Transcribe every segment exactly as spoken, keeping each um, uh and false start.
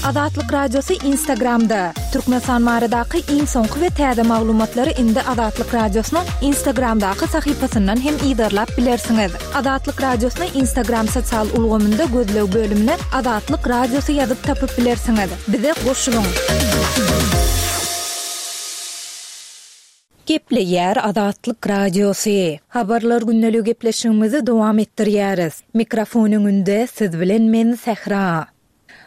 Azatlyk Radiosy Instagramda. Türkmenistan baradaky iň soňky we täze maglumatlary indi Azatlyk Radiosynyň Instagramdaky sahypasyndan hem yzarlap bilersiňiz. Azatlyk Radiosyny Instagram sosial ulgamynda gözleg bölümine Azatlyk Radiosy ýazyp tapyp bilersiňiz. Bize goşulyň. Gepleýär Azatlyk Radiosy. Habarlar gündelik gepleşigimizi dowam etdirýäris. Mikrofon öňünde siz bilen men Sähra.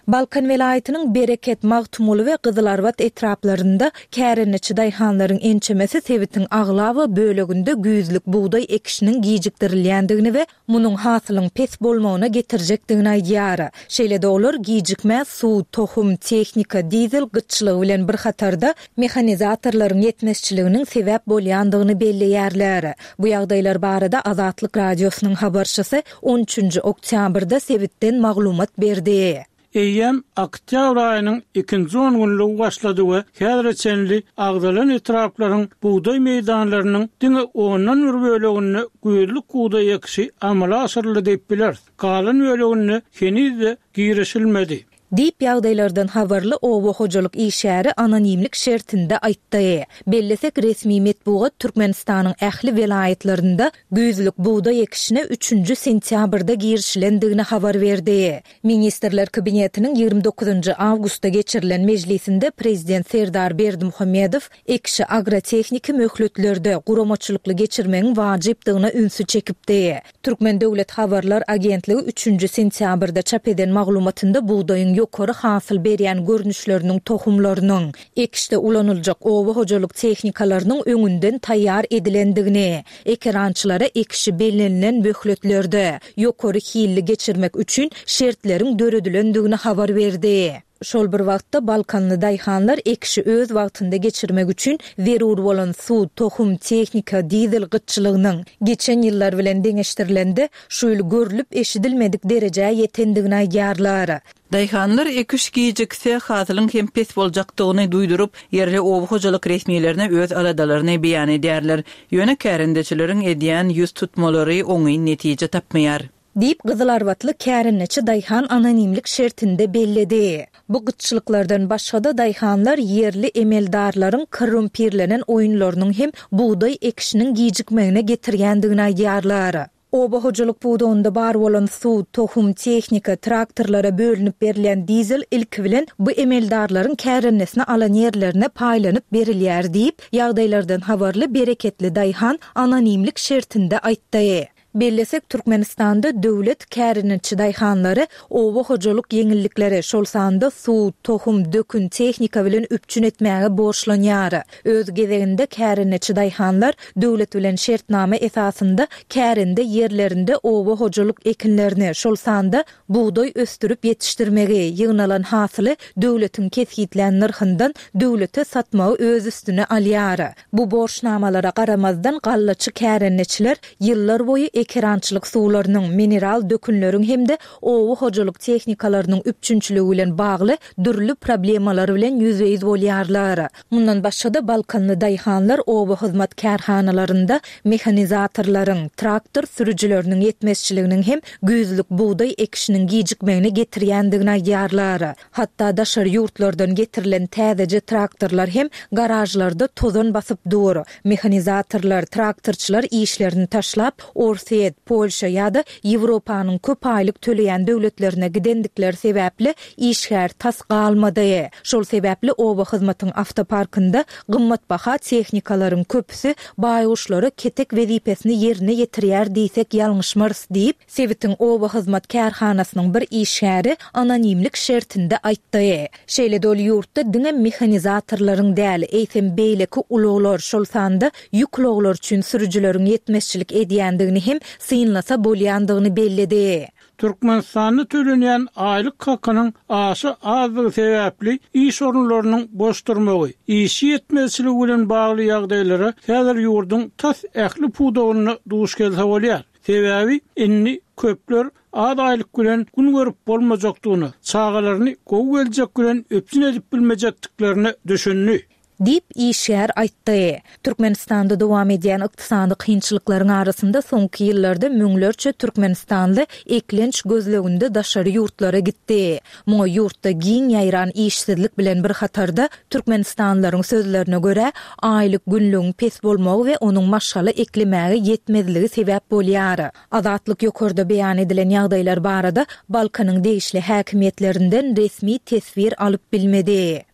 Balkan welaýatynyň Bereket, Magtymguly we Gyzylarbat etraplarynda kärendeçi daýhanlaryň ençemesi sebitiň aglaba böleginde güýzlük bugdaý ekişiniň gijikdirilýändigini we munuň hasylyň pes bolmagyna getirjekdigini aýdýar. Şeýle-de olar gijikmä suw, tohum, tehnika, dizel gytçylygy bilen bir hatarda mehanizatorlaryň ýetmezçiliginiň sebäp bolýandygyny belleýärler. Bu ýagdaýlar barada Azatlyk Radiosynyň habarçysy on üçünji oktýabrda sebitden maglumat berdi. Eýýäm oktýabr aýynyň ikinji on günlügi başlady we häzire çenli agzalan etraplaryň bugdaý meýdanlarynyň diňe ondan bir böleginde güýzlük bugdaý ekişi amala aşyryldy diýip bileris. Galan böleginde heniz-de girişilmedi. Diýip ýagdaýlardan habarly oba hojalyk işgäri anonimlik şertinde aýtdy. Bellesek resmi metbugat Türkmenistanyň ähli welaýatlarynda güýzlük bugdaý ekişine üçünji sentýabrda girişilendigini habar berdi. Ministrler Kabinetiniň ýigrimi dokuzynjy awgustda geçirilen mejlisinde Prezident Serdar Berdimuhamedow ekişi agrotehniki möhletlerde guramaçylykly geçirmegiň wajypdygyna ünsi çekipdi. Türkmen Döwlet Habarlar Agentligi üçünji sentýabrda çap eden maglumatynda bugdaýyň ýokary hasyl berýän görnüşleriniň tohumlarynyň, ekişde ulanyljak oba hojalyk tehnikalarynyň öňünden taýýar edilendigini, ekerançylara ekişi bellenilen möhletlerde ýokary hilli geçirmek üçin şertleriň döredilendigini habar berdi. Şol bir wagtda Balkanly daýhanlar ekişi öz wagtynda geçirmek üçin zerur bolan suw, tohum, tehnika, dizel gytçylygynyň geçen ýyllar bilen deňeşdirilende şu ýyl görlüp eşidilmedik derejä ýetendigini aýdýarlar. Daýhanlar ekiş gijikse hasylyň hem pes boljakdygyny duýduryp, ýerli oba hojalyk resmilerine öz aladalaryny beýan edýärler. Ýöne kärendeçileriň edýän ýüz tutmalary oňyn netije tapmaýar. Diýip Gyzylarbatly kärendeçi daýhan anonimlik şertinde belledi. Bu gytçylyklardan başga-da daýhanlar ýerli emeldarlaryň korrumpirlenen oýunlarynyň hem bugdaý ekişiniň gijikmegine getirýändigini aýdýarlar. Oba hojalyk pudagynda bar bolan suw, tohum, tehnika, traktorlara bölünip berilýän dizel ilki bilen bu emeldarlaryň kärendesine alan ýerlerine paýlanyp berilýär diýip, ýagdaýlardan habarly bereketli daýhan anonimlik şertinde aýtdy. Bellesek Türkmenistanda döwlet kärendeçi daýhanlary oba hojalyk ýeňillikleri, şol sanda suw, tohum, dökün, tehnika bilen üpjün etmäge borçlanýar. Öz gezeginde kärendeçi daýhanlar döwlet bilen şertnama esasynda kärende ýerlerinde oba hojalyk ekinlerini, şol sanda bugdaý ösdürip ýetişdirmegi, ýygnalan hasyly döwletiň kesgitlän nyrhyndan döwlete satmagy öz üstüne alýar. Bu borçnamalara garamazdan gallaçy kärendeçiler ýyllar boýy ekerançylyk suwlarynyň, mineral dökünleriň hem-de oba hojalyk tehnikalarynyň üpjünçiligi bilen bagly dürli problemalar bilen ýüzbe-ýüz bolýarlar. Mundan başga-da Balkanly daýhanlar oba hyzmat kärhanalarynda mehanizatorlaryň, traktor sürüjileriniň ýetmezçiliginiň hem güýzlük bugdaý ekişiniň gijikmegine getirýändigini aýdýarlar. Hatda daşary ýurtlardan getirilen täzeje traktorlar hem garajlarda tozan basyp dur. Mehanizatorlar, traktorçylar işlerini taşlap, Orsýet, Polşa ýa-da Ýewropanyň köp aýlyk töleýän döwletlerine gidendikleri sebäpli işgär tas galmady. Şol sebäpli oba hyzmatyň avtoparkynda gymmatbaha tehnikalaryň köpüsi baýguşlara ketek wezipesini ýerine ýetirýär diýsek ýalňyşmarys diýip, sebitiň oba hyzmat kärhanasynyň bir işgäri anonimlik şertinde aýtdy. Şeýle-de ol ýurtda diňe mehanizatorlaryň däl, eýsem beýleki ulaglar, şol sanda ýük ulaglar üçin sürüjileriň ýetmezçilik edýändigini hem synlasa bolýandygyny belledi. Türkmenistanda tölenýän aýlyk hakynyň aşa azdygy sebäpli iş orunlarynyň boş durmagy, işçi ýetmezçiligi bilen bagly ýagdaýlara häzir ýurduň tas ähli pudagynda duş gelse bolýar. Sebäbi indi köpler az aýlyk bilen gün görüp bolmajakdygyny, çagalaryny gowy geljek bilen üpjün edip bilmejekdiklerine düşündi. Diýip, işgär aýtdy. Türkmenistanda dowam edýän ykdysady kynçylyklaryň arasynda soňky ýyllarda müňlerçe türkmenistanly eklenç gözleginde daşary ýurtlara gitdi. Muňa ýurtda giň ýaýran işsizlik bilen bir hatarda, türkmenistanlylaryň sözlerine görä, aýlyk-günlügiň pes bolmagy we onuň maşgala eklemäge ýetmezligi sebäp bolýar. Azatlyk ýokarda beýan edilen ýagdaýlar barada Balkanyň degişli häkimiýetlerinden resmi teswir alyp bilmedi.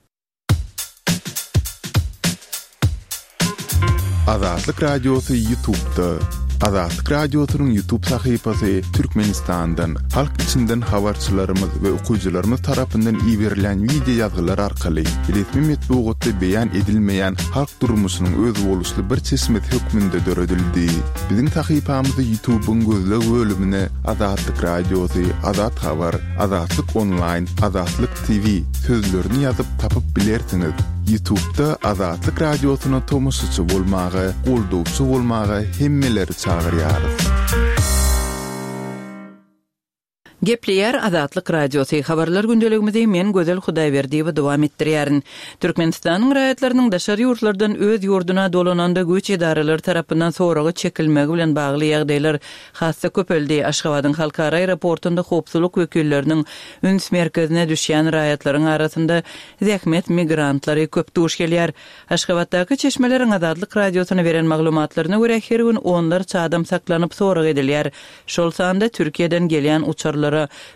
Azatlyk Radiosy Ýutubda. Azatlyk Radiosynyň Ýutub sahypasy Türkmenistandan, halk içinden habarçylarymyz we okyjylarymyz tarapyndan iberilen wideo ýazgylar arkaly resmi metbugatda beýan edilmeýän halk durmuşynyň özboluşly bir çeşmesi hökmünde döredildi. Biziň sahypamyzy Ýutubyň gözleg bölümine Azatlyk Radiosy, Azat Habar, Azatlyk Onlaýn, Azatlyk T V sözlerini ýazyp tapyp bilersiňiz. Ýutubda Azatlyk Radiosyna tomaşaçy bolmaga, goldawçy bolmaga hemmeleri çagyrýarys. Gepleýär Azatlyk Radiosy. Habarlar gündeligimizi men Gözel Hudaýberdiýewa dowam etdirýärin. Türkmenistanyň raýatlarynyň daşary ýurtlardan öz ýurduna dolananda güýç edaralary tarapyndan soraga çekilmegi bilen bagly ýagdaýlar has-da köpeldi. Aşgabadyň halkara aeroportunda howpsuzlyk wekilleriniň üns merkezine düşýän raýatlaryň arasynda zähmet migrantlary köp duş gelýär. Aşgabatdaky çeşmeleriň Azatlyk Radiosyna beren maglumatlaryna görä her gün onlarça adam saklanyp sorag edilýär. Şol sanda Türkiýeden gelýän uçarlara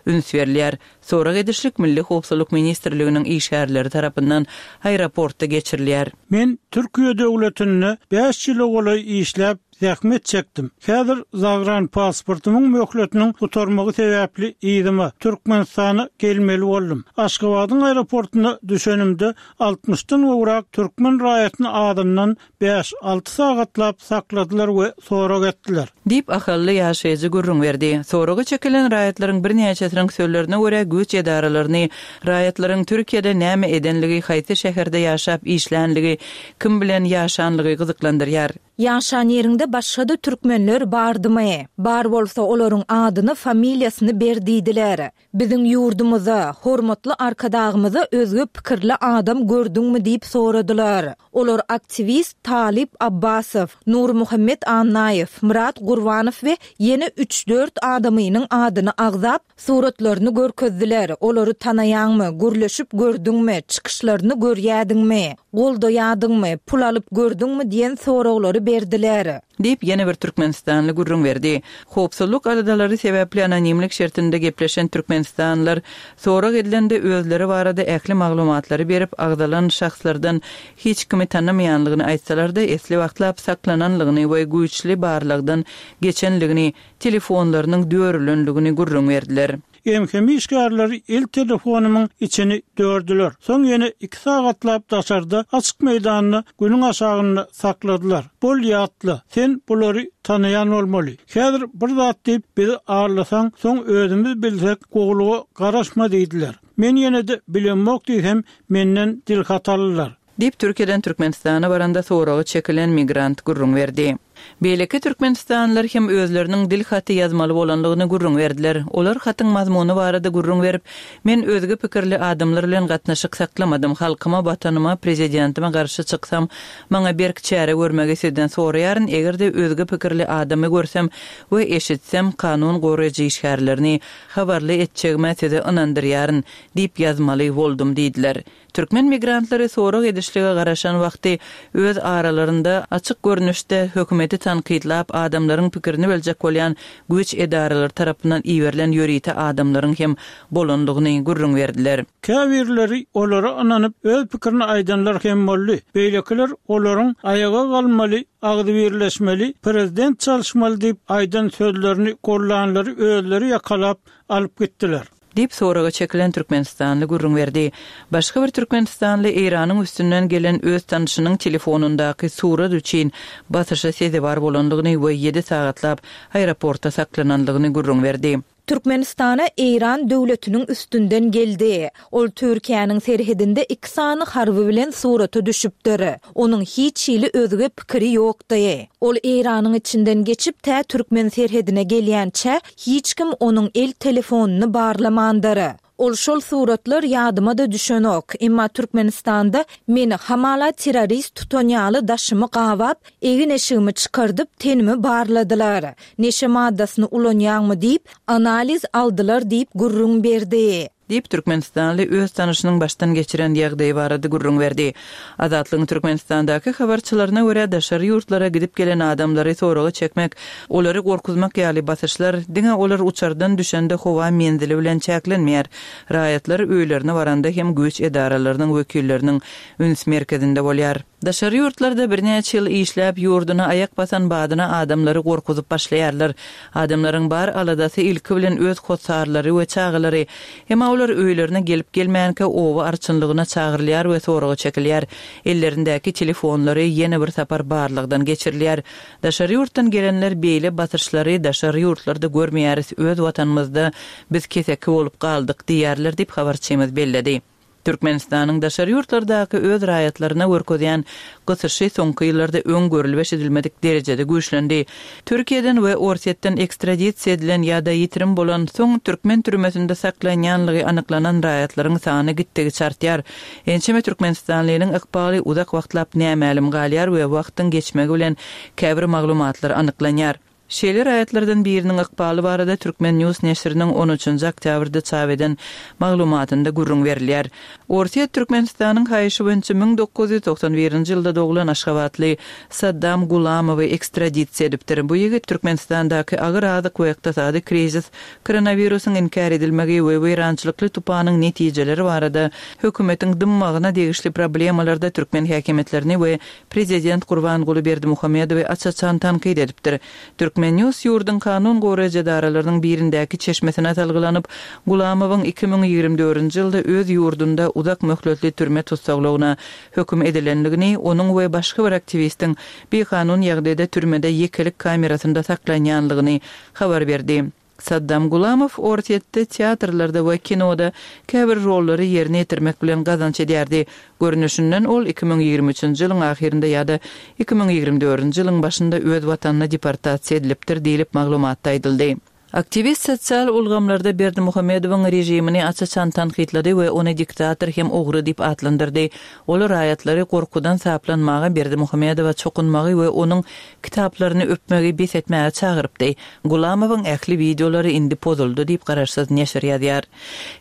üns berilýär. Sorag edişlik Milli Howpsuzlyk Ministrliginiň işgärleri tarapyndan aeroportda geçirilýär. Men Türkiýe döwletinde bäş ýyla golaý işläp zähmet çekdim. Häzir zagran pasportymyň möhletiniň gutarmagy sebäpli yzyma Türkmenistana gelmeli boldum. Aşgabadyň aeroportuna düşenimde altmyşdan gowrak türkmen raýatyny adyndan bäş alty sagatlap sakladylar we sorag etdiler. Diýip ahally ýaşaýjy gürrüň berdi. Soraga çekilen raýatlaryň birnäçesiniň sözlerine görä güýç edaralaryny raýatlaryň Türkiýede näme edenligi, haýsy şäherde ýaşap işlänligi, kim bilen ýaşanlygy gyzyklandyrýar. Ýaşan ýeriňde başga-da türkmenler bardymy? Bar bolsa olaryň adyny, familiýasyny ber diýdiler. Biziň ýurdumyza, hormatly arkadagymyza özge pikirli adam gördüňmi diýip soradylar. Olar aktiwist Talip Abbasow, Nurmuhammet Annaýew, Murat Gurbanow we ýene üç-dört adamynyň adyny agzap, suratlaryny görkezdiler. Olary tanaýaňmy, gürleşip gördüňmi, çykyşlaryny görýädiňmi, goldaýadyňmy, pul alyp gördüňmi diýen soraglary berdiler. Diýip ýene bir Türkmenistanly gürrüň berdi. Howpsuzlyk aladalary sebäpli anonimlik şertinde gepleşen Türkmenistanlylar sorag edilende özleri barada ähli maglumatlary berip agzalan şahslardan hiç kimi tanamaýanlygyny aýtsalar-da esli wagtlap saklananlygyny we güýçli barlagdan geçenligini, telefonlarynyň dörülenligini gürrüň berdiler. M H M işgärleri el telefonumyň içini dördüler. Soň ýene iki sagatlap daşarda açyk meýdanda günüň aşagynda sakladylar. Bol ýatla, sen bulary tanaýan bolmaly. Häzir bir zat diýip bizi arlasaň, soň özümiz bilsek gowluga garaşma diýdiler. Men ýene de bilemok diýsem, menden dil hatalylar. Diýip Türkiýeden Türkmenistana baranda soragy çekilen migrant gürrüň berdi. Beýleki Türkmenistanlylar hem özleriniň dil haty ýazmaly bolanlygyny gürrüň berdiler. Olar hatyň mazmuny barada gürrüň berip, men özge pikirli adamlar bilen gatnaşyk saklamadym, halkyma, watanyma, prezidentime garşy çyksam, maňa berk çäre görmegi sizden soraýaryn, eger-de özge pikirli adamy görsem we eşitsem, kanun goraýjy işgärlerini habarly etjegime size ynandyrýaryn diýip ýazmaly boldum diýdiler. Türkmen migrantlary sorag edişlige garaşan wagty öz aralarynda açyk görnüşde hökümeti tankytlap adamlaryň pikirini biljek bolýan güýç edaralary tarapyndan iberilen ýörite adamlaryň hem bolanlygyny gürrüň berdiler. Käbirleri olara ynanyp öz pikirini aýdanlar hem boldy. Beýlekiler olaryň aýaga galmaly, agzy birleşmeli, prezident çalışmaly diýip aýdan sözlerini gollanlary özleri ýakalap alyp gitdiler. Diýip soraga çekilen Türkmenistanly gürrüň berdi. Başga bir Türkmenistanly Eýranyň üstünden gelen öz tanşynyň telefonundaky surat üçin basyşa sezewar bolanlygyny we ýedi sagatlap aeroportda saklananlygyny gürrüň berdi. Türkmenistana Eýran döwletiniň üstünden geldi. Ol Türkiýäniň serhedinde iki sany harby bilen surata düşüpdir. Onuň hiç hili özge pikiri ýokdy. Ol Eýranyň içinden geçip tä Türkmen serhedine gelýänçä hiç kim onuň el telefonyny barlamandyr. Ol şol suratlar ýadyma-da düşenok. Emma Türkmenistanda meni hamala terrorist tutan ýaly daşymy gabap, egin-eşigimi çykardyp, tenimi barladylar. Neşe maddasyny ulanýaňmy diýip, analiz aldylar diýip gürrüň berdi. Diýip, türkmenistanly öz tanyşynyň başdan geçiren ýagdaýy barada gürrüň berdi. Azatlygyň Türkmenistandaky habarçylaryna görä, daşary ýurtlara gidip gelen adamlary soraga çekmek, olary gorkuzmak ýaly basyşlar diňe olar uçardan düşende howa menzili bilen çäklenmeýär. Raýatlar öýlerine baranda hem güýç edaralarynyň wekilleriniň üns merkezinde bolýar. Daşary ýurtlarda birnäçe ýyl işläp, ýurduna aýak basan badyna adamlary gorkuzyp başlaýarlar. Adamlaryň bar aladasy ilki bilen öz hossarlary we çagalary. Emma olar öýlerine gelip-gelmänkä oba arçynlygyna çagyrylýar we soraga çekilýär. Ellerindäki telefonlary ýene bir sapar barlagdan geçirilýär. Daşary ýurtdan gelenler beýle basyşlary daşary ýurtlarda görmeýäris, öz watanymyzda biz keseki bolup galdyk diýýärler diýip, habarçymyz belledi. Türkmenistanyň daşary ýurtlardaky öz raýatlaryna görkezýän gysyşy soňky ýyllarda öň görülip-eşidilmedik derejede güýçlendi. Türkiýeden we Orsýetden ekstradisiýa edilen ýa-da ýitirim bolan soň türkmen türmesinde saklanýanlygy anyklanan raýatlaryň sany gitdigiçe artýar. Ençeme türkmenistanlynyň ykbaly uzak wagtlap nämälim galýar we wagtyň geçmegi bilen käbir maglumatlar anyklanýar. Şeýle raýatlardan biriniň ykbaly barada Turkmen News neşiriniň on üçünji oktýabrda çap eden maglumatynda gürrüň berilýär. Orsýet Türkmenistanyň haýyşy boýunça müň dokuz ýüz togsan birinji ýylda doglan aşgabatly Saddam Gulamowy ekstradisiýa edipdir. Bu ýigit Türkmenistandaky agyr azyk we ykdysady krizis, koronawirusyň inkär edilmegi we weýrançylykly tupanyň netijeleri barada hökümetiň dymmagyna degişli problemalarda türkmen häkimiýetlerini we prezident Gurbanguly Berdimuhamedowy aç-açan tankyt edipdir. Turkmen News ýurduň kanun goraýjy edaralarynyň birindäki çeşmesine salgylanyp, Gulamowyň iki müň ýigrimi dördünji ýylda öz ýurdunda uzak möhletli türme tussaglygyna höküm edilendigini, onuň we başga bir aktiwistiň bikanun ýagdaýda türmede ýekelik kamerasynda saklanýanlygyny habar berdi. Saddam Gulamow Orsýetde teatrlarda we kinoda käbir rollary ýerine ýetirmek bilen gazanç edýärdi. Görnüşinden ol iki müň ýigrimi üçünji ýylyň ahyrynda ýa-da iki müň ýigrimi dördünji ýylyň başynda öz watanyna deportasiýa edilipdir diýlip maglumatda aýdyldy. Aktiwist sosial ulgamlarda Berdimuhamedowyň režimini aç-açan tankytlady we ony diktator hem ogry diýip atlandyrdy. Ol raýatlary gorkudan saplanmaga Berdimuhamedowa çokunmagy we onuň kitaplaryny öpmegi bes etmäge çagyrypdy. Gulamowyň ähli wideolary indi pozuldy diýip garaşsyz neşir ýazýar.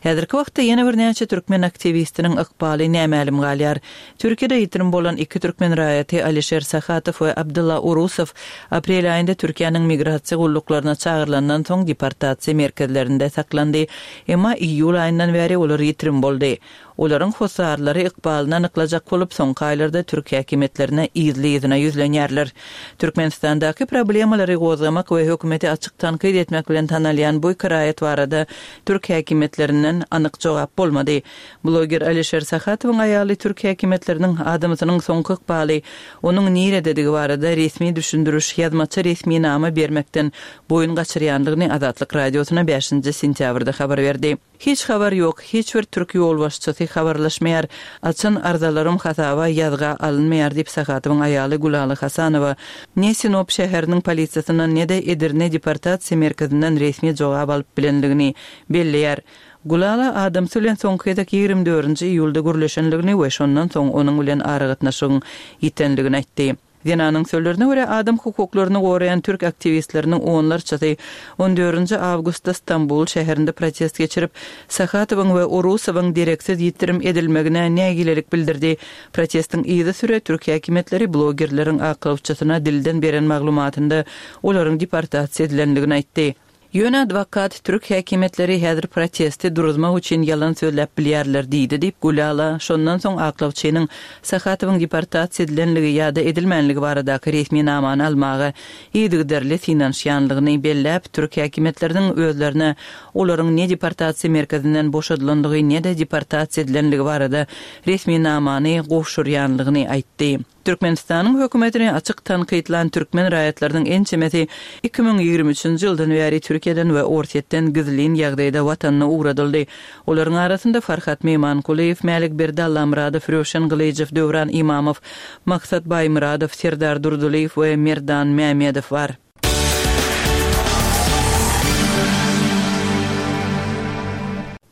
Häzirki wagtda ýene birnäçe türkmen aktiwistiniň ykbaly nämälim galýar. Türkiýede ýitirim bolan iki türkmen raýaty Alişer Sahatow we Abdylla Urusow aprel aýynda Türkiýäniň migrasiýa gulluklaryna çagyrylandan soň deportasiýa merkezlerinde saklandy. Emma iýul aýyndan bäri olar ýitirim boldy. Olaryň hossarlary ykbalyny anyklajak bolup, soňky aýlarda türk häkimiýetlerine yzly-yzyna ýüzlenýärler. Türkmenistandaky problemalary gozgamak we hökümeti açyk tankyt etmek bilen tanalýan bu iki raýat barada türk häkimiýetlerinden anyk jogap bolmady. Bloger Alişer Sahatowyň aýaly türk häkimiýetleriniň adamsynyň soňky ykbaly, onuň nirededigi barada resmi düşündiriş, ýazmaça resminama bermekden boýun gaçyrýanlygyny Azatlyk Radiosyna bäşinji sentýabrda habar berdi. Hiç habar ýok, hiç bir türk ýolbaşçysy habarlaşmaýar, açan arzalarym hasaba ýazga alynmaýar diýip Sahatowyň aýaly Gülala Hasanowa ne Sinop şäheriniň polisiýasyndan ne-de Edirne deportasiýa merkezinden resmi jogap alyp bilenligini belleýär. Gülala adamsy bilen soňky gezek ýigrimi dördünji iýulda gürleşenligini we şondan soň onuň bilen aragatnaşygyň ýitenligini aýtdy. Zenanyň sözlerine görä, adam hukuklaryny goraýan türk aktiwistleriniň onlarçasy on dördünji awgustda Stambul şäherinde protest geçirip, Sahatowyň we Urusowyň dereksiz ýitirim edilmegine nägilelik bildirdi. Protestiň yzysüre türk häkimiýetleri blogerleriň aklawçysyna dilden beren maglumatynda olaryň deportasiýa edilendigini aýtdy. Ýöne adwokat türk häkimiýetleri häzir protesti duruzmak üçin ýalan sözläp bilýärler diýdi diýip, Gülala şondan soň aklawçynyň Sahatowyň deportasiýa edilenligi ýa-da edilmänligi baradaky resminamany almaga yzygiderli synanyşýanlygyny belläp, türk häkimiýetleriniň özlerine olaryň ne deportasiýa merkezinden boşadylandygy ne-de deportasiýa edilenligi barada resminamany gowşurýanlygyny aýtdy. Türkmenistanyň hökümetini açyk tankytlan türkmen raýatlarynyň ençemesi iki müň ýigrimi üçünji ýyldan bäri Türkiýeden we Orsýetden gizlin ýagdaýda watanyna ugradyldy. Olaryň arasynda Farhat Meýmankulyýew, Mälikberdi Allamyradow, Röwşen Gylyjow, Döwran Imamow, Maksat Baýmyradow, Serdar Durdylyýew we Merdan Mämedow bar.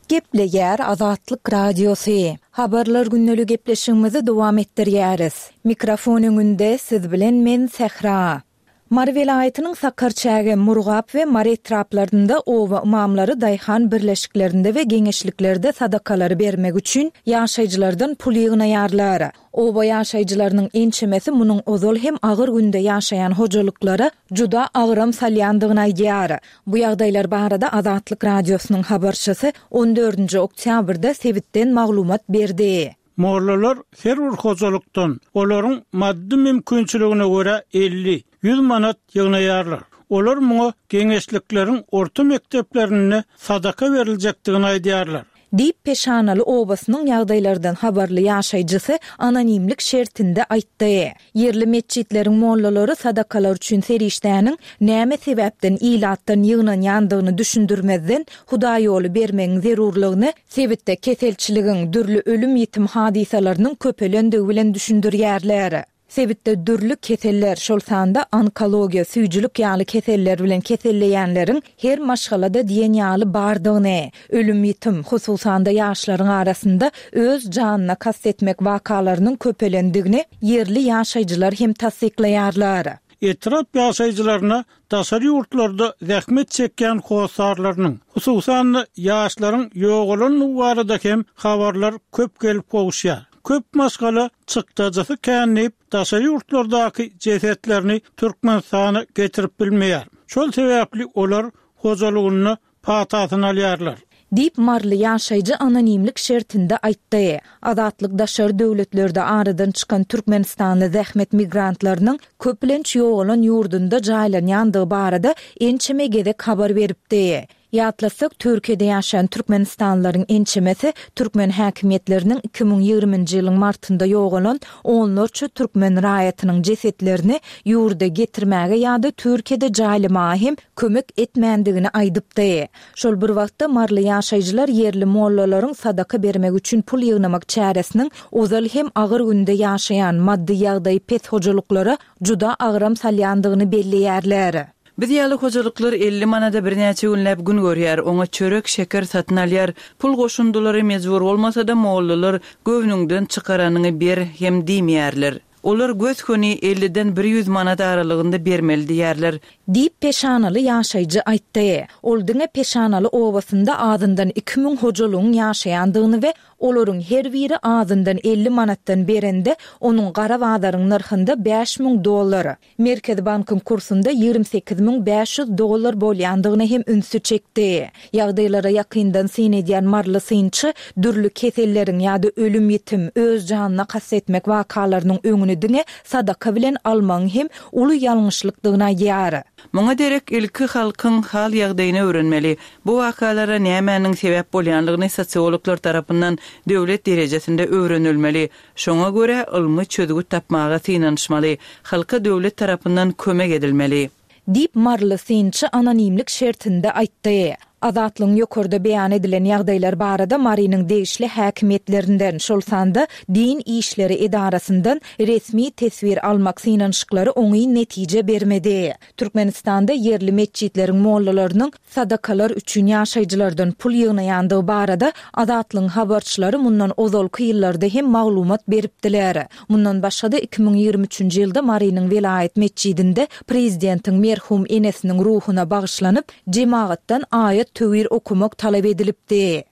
Gepleýär Azatlyk Radiosy. Habarlar gündelik gepleşigimizi dowam etdirýäris. Mikrofon öňünde siz bilen men Sähra. Mary welaýatynyň Sakarçäge, Murgap we Mary etraplarynda oba ymamlary daýhan birleşiklerinde we geňeşliklerde sadakalary bermek üçin ýaşaýjylardan pul ýygnaýarlar. Oba ýaşaýjylarynyň ençemesi munuň ozal hem agyr günde ýaşaýan hojalyklara juda agram salýandygyny aýdýar. Bu ýagdaýlar barada Azatlyk Radiosynyň habarçysy on dördünji oktýabrda sebitden maglumat berdi. Mollalar her bir hojalykdan olaryň maddy mümkinçiligine görä elli, ýüz manat ýygnaýarlar. Olar muňa geňeşlikleriň orta mekdeplerinde sadaka beriljekdigini aýdýarlar. Diýip Peşanaly obasynyň ýagdaýlardan habarly ýaşaýjysy anonimlik şertinde aýtdy. Ýerli metjitleriň mollalary sadakalar üçin serişdäniň näme sebäpden ilatdan ýygnanýandygyny düşündirmezden Hudaýoly bermegiň zerurlygyny sebitde keselçiligiň dürli ölüm ýitim hadysalarynyň köpelendigi bilen düşündirýärler. Sebitde dürli keseller, şol sanda onkologiýa, süýjülik ýaly keseller bilen keselleýänleriň her maşgalada diýen ýaly bardygyny, ölüm ýitim, hususan-da ýaşlaryň arasynda öz janyna kast etmek wakalarynyň köpelendigini ýerli ýaşaýjylar hem tassyklaýarlar. Etrap ýaşaýjylaryna daşary ýurtlarda zähmet çekýän hossarlarynyň, hususan-da ýaşlaryň ýogalandygy barada hem habarlar köp gelip gowuşýar. Köp maşgala çykdajysy känleyip daşary ýurtlardaky jesetlerini Türkmenistana getirip bilmeýär. Şol sebäpli olar hojalygyny patasyny alýarlar. Diýip Marly ýaşaýjy anonimlik şertinde aýtdy. Azatlyk daşary döwletlerde aradan çykan Türkmenistanly zähmet migrantlarynyň köplenç ýogalan ýurdunda jaýlanýandygy barada ençeme gezek habar beripdi. Ýatlasak, Türkiýede ýaşaýan Türkmenistanlylaryň ençemesi türkmen häkimiýetleriniň iki müň ýigriminji ýylyň martynda ýogalan onlarça türkmen raýatynyň jesetlerini ýurda getirmäge ýa-da Türkiýede jaýlamaga hem kömek etmändigini aýdypdy. Şol bir wagtda Marly ýaşaýjylar ýerli mollalaryň sadaka bermek üçin pul ýygnamak çäresiniň ozal hem agyr günde ýaşaýan maddy ýagdaýy pes hojalyklara juda agram salýandygyny belleýärler. Biz ýaly hojalyklar elli manada birnäçe günläp gün görýär, oňa çörek, şeker satyn alýar. Pul goşundylary mejbur bolmasa-da mollalar göwnüňden çykaranyňy ber hem diýmeýärler. Olar göz köni elliden bir ýüz manat aralygynda bermeli diýärler. Diýip Peşanaly ýaşaýjy aýtdy. Ol diňe Peşanaly obasynda azyndan iki müň hojalygyň ýaşaýandygyny we olaryň her biri azyndan elli manatdan berende onuň gara bazaryň nyrhynda bäş müň dollar, Merkezi bankyň kursunda ýigrimi sekiz müň bäş ýüz dollar bolýandygyny hem ünsi çekdi. Ýagdaýlara ýakyndan syn edýän Marly synçy dürli keselleriň ýa-da ölüm ýitim, öz janyna kast etmek wakalarynyň öňüni diňe sadaka bilen almagyň hem uly ýalňyşlykdygyny aýdýar. Muňa derek ilki halkyň hal ýagdaýyny öwrenmeli. Bu wakalara nämäniň sebäp bolýanlygyny sosiologlar tarapyndan döwlet derejesinde öwrenilmeli. Şoňa görä ylmy çözgüt tapmaga synanyşmaly. Halka döwlet tarapyndan kömek edilmeli. Diýip Marly synçy anonimlik şertinde aýtdy. Azatlygyň ýokarda beýan edilen ýagdaýlar barada Marynyň degişli häkimiýetlerinden, şol sanda din işleri edarasyndan resmi teswir almak synanyşyklary oňyn netije bermedi. Türkmenistanda ýerli metjitleriň mollalarynyň sadakalar üçin ýaşaýjylardan pul ýygnaýandygy barada Azatlygyň habarçylary mundan ozalky ýyllarda hem maglumat beripdiler. Mundan başga-da iki müň ýigrimi üçünji ýylda Marynyň welaýat metjidinde prezidentiň merhum enesiniň ruhuna bagyşlanyp, jemagatdan aýat töwir okumak talap edilipdi.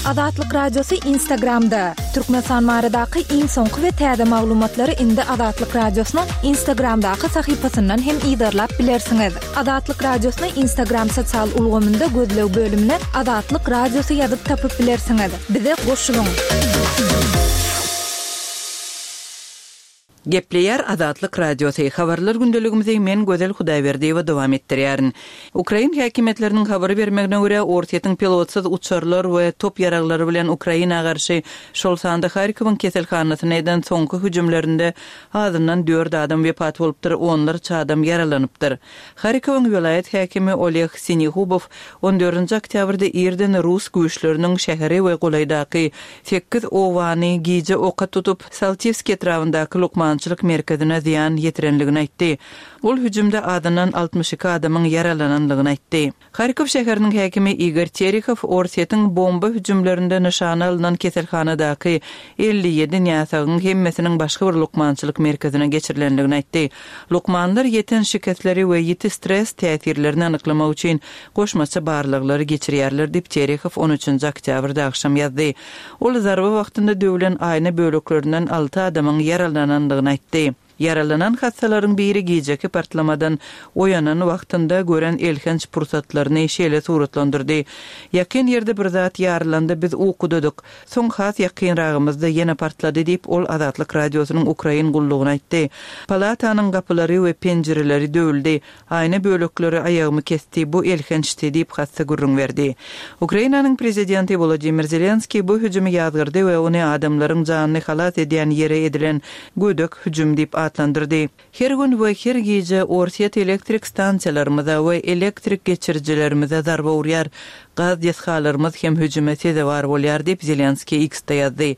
Azatlyk Radiosy Instagramda. Türkmenistan baradaky iň soňky we täze maglumatlary indi Azatlyk Radiosynyň Instagramdaky sahypasyndan hem yzarlap bilersiňiz. Azatlyk Radiosyny Instagram sosial ulgamynda gözleg bölümine Azatlyk Radiosy ýazyp tapyp bilersiňiz. Bize goşulyň. Gepleýär Azatlyk Radiosy. Habarlar gündeligimizi men Gözel Hudaýberdiýewa dowam etdirýärin. Ukrain häkimiýetleriniň habary bermegine görä, Orsýetiň pilotsyz uçarlar we top ýaraglary bilen Ukraina garşy şol sanda Harkowyň keselhanasyna eden soňky hüjümlerinde azyndan dört adam wepat bolupdyr, onlarça adam ýaralanypdyr. Harkowyň welaýat häkimi Oleg Sinehubow on dördünji oktýabrda irden rus güýçleriniň şäheri we golaýdaky sekiz owany gije oka tutup, Saltiwski etrabyndaky lukmançylyk lukmançylyk merkezine zyýan ýetirenligini aýtdy. Ol hüjümde azyndan altmyş iki adamyň ýaralananlygyny aýtdy. Harkow şäheriniň häkimi Igor Terehow Orsýetiň bomba hüjümlerinde nyşana alnan keselhanadaky elli ýedi näsagyň hemmesiniň başga bir lukmançylyk merkezine geçirilenligini aýtdy. Lukmanlar ýeten şikesleri we ýiti stres täsirlerini anyklamak üçin goşmaça barlaglary geçirýärler diýip Terehow on üçünji oktýabrda agşam ýazdy. Ol zarba wagtynda döwlen aýna böleklerinden alty adamyň ýaralanandygyny aýtdy. Ýaralanan hassalaryň biri gijeki partlamadan oýanan wagtynda gören elhenç pursatlaryny şeýle suratlandyrdy. Ýakyn ýerde bir zat ýarylanda biz ukudadyk. Soň has ýakynragymyzda ýene partlady diýip ol Azatlyk radiosynyň Ukrain gullugyna aýtdy. Palatanyň gapylary we penjireleri döwüldi. Aýna bölekleri aýagymy kesdi, bu elhençdi diýip hassa gürrüň berdi. Ukrainanyň prezidenti Volodymyr Zelenskiý bu hüjümi ýazgyrdy we ony adamlaryň janyny halas edýän ýere edilen gödek hüjüm diýip atlandyrdy. Her gün we her gije Orsýet elektrik stansiýalarymyza we elektrik geçirijilerimize zarba urýar. Gaz desgalarymyz hem hüjüme sezewar bolýar diýip Zelenskiý X-de ýazdy.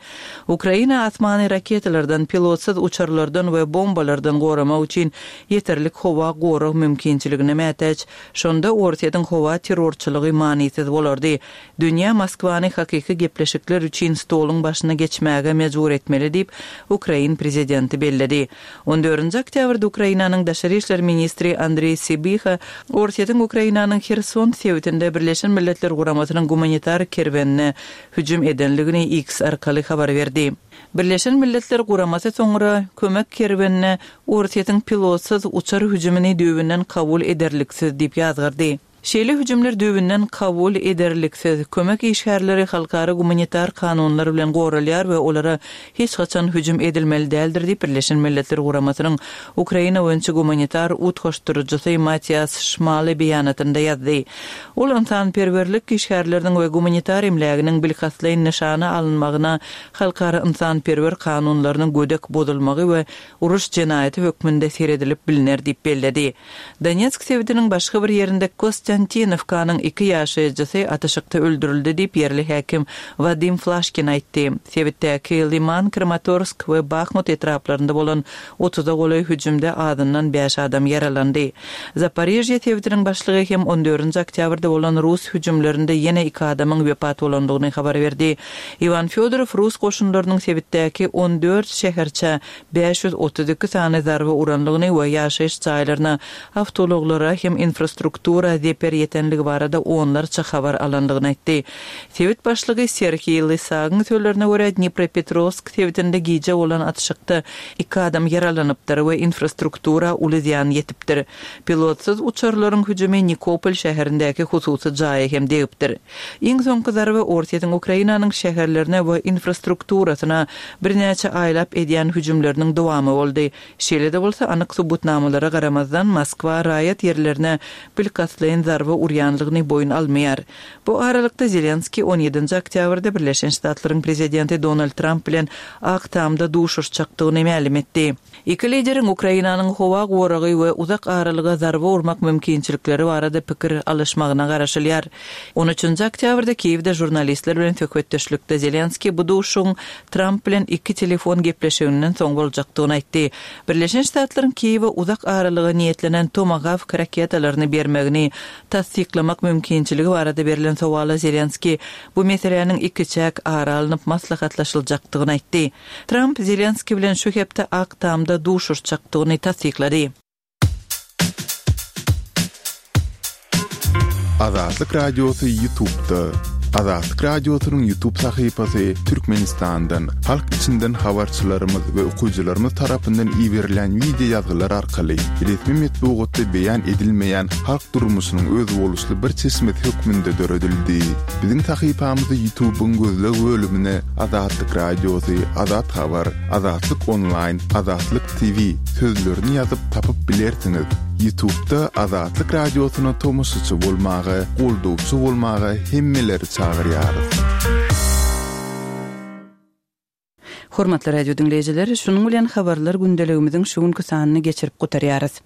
Ukraina asmany raketalardan, pilotsyz uçarlardan we bombalardan goramak üçin ýeterlik howa gorag mümkinçiligine mätäç. Şonda Orsýetiň howa terrorçylygy manysyz bolardy. Dünýä Moskwany hakyky gepleşikler üçin stoluň başyna geçmäge mejbur etmeli diýip Ukrain prezidenti belledi. On dördünji oktýabrda Ukrainanyň daşary işler ministri Andrei Sibiha Orsýetiň Ukrainanyň Herson sebitinde Birleşen Milletler Guramasynyň gumanitar kerwenine hüjüm edenligini X arkaly habar berdi. Birleşen Milletler Guramasy soňra kömek kerwenine Orsýetiň pilotsyz uçar hüjümini düýbünden kabul ederliksiz diýip ýazgardy. Şeýle hüjümler düýbünden kabul ederliksiz kömek işgärleri halkara gumanitar kanunlar bilen goralýar we olara hiç haçan hüjüm edilmeli däldir diýip Birleşen Milletler Guramasynyň Ukraina boýunça gumanitar utgaşdyryjysy Matias Şmale beýanatynda ýazdy. Ol ynsanperwerlik işgärleriniň we gumanitar emläginiň bilkastlaýyn nyşana alynmagyna halkara ynsanperwer kanunlarynyň gödek bozulmagy we uruş jenaýaty hökmünde seredilip biliner diýip belledi. Donetsk sebitiniň başga bir ýerinde Konstantinovkanyň iki ýaşaýjysy atyşykda öldürildi diýip ýerli häkim Wadim Flaşkin aýtdy. Sebitdäki Liman, Kramatorsk we Bahmut etraplarynda bolan otuza golaý hüjümde azyndan bäş adam ýaralandy. Zaporijye sebitiniň başlygy hem on dördünji oktýabrda bolan rus hüjümlerinde ýene iki adamyň wepat bolandygyny habar berdi. Iwan Fyodorov rus goşunlarynyň sebitdäki on dört şäherçe bäş ýüz otuz iki sany zarba uranlygyny we ýaşaýyş jaýlaryna, awtoulaglara hem infrastruktura zeper ýetenligi barada onlarça habar alandygyny aýtdy. Sebit başlygy Serhiý Lysagyň sözlerine görä Dnipropetrovsk sebitinde gije bolan atyşykda iki adam ýaralanypdyr we infrastruktura uly zyýan ýetipdir. Pilotsyz uçarlaryň hüjümi Nikopol şäherindäki hususy jaýa hem degipdir. Iň soňky zarba Orsýetiň Ukrainanyň şäherlerine we infrastrukturasyna birnäçe aýlap edýän hüjümleriniň dowamy boldy. Şeýle-de bolsa anyk subutnamalara garamazdan Moskwa raýat ýerlerine bilkastlaýyn zarba urýanlygyny boýun almaýar. Bu aralykda Zelenskiý on ýedinji oktýabrda Birleşen Ştatlaryň prezidenti Donald Trump bilen Ak Tamda duşuşjakdygyny mälim etdi. Iki lideriň Ukrainanyň howa goragy we uzak aralyga zarba urmak mümkinçilikleri barada pikir alyşmagyna garaşylýar. On üçünji oktýabrda Kiýewde žurnalistler bilen söhbetdeşlikde Zelenskiý bu duşuşygyň Trump bilen iki telefon gepleşiginden soň boljakdygyny aýtdy. Birleşen Ştatlaryň Kiýewe uzak aralyga niýetlenen Tomahawk raketalaryny bermegini tassyklamak mümkinçiligi barada berlen sowala Zelenskiý bu meseläniň iki çäk ara alnyp maslahatlaşyljakdygyny aýtdy. Trump Zelenskiý bilen şu hepde Ak Tamda duşuşjakdygyny tassyklady. Azatlyk Radiosy YouTube'da. Azatlyk Radiosynyň YouTube sahypasy Türkmenistandan, halk içinden habarçylarymyz we okyjylarymyz tarapyndan iberilen video ýazgylar arkaly resmi metbugatda beýan edilmeýän halk durmuşynyň özboluşly bir çeşmesi hökmünde döredildi. Biziň sahypamyzy YouTube'yň gözleg bölümine Azatlyk Radiosy, Azat Habar, Azatlyk Online, Azatlyk T V sözlerini ýazyp tapyp bilersiňiz. YouTube'da Azatlyk Radiosyna tomaşaçy bolmaga, goldawçy bolmaga hemmeleri çagyrýarys. Hormatly radio dinleýjiler, şunuň bilen habarlar gündeligimiziň şu günki sanyny geçirip gutarýarys.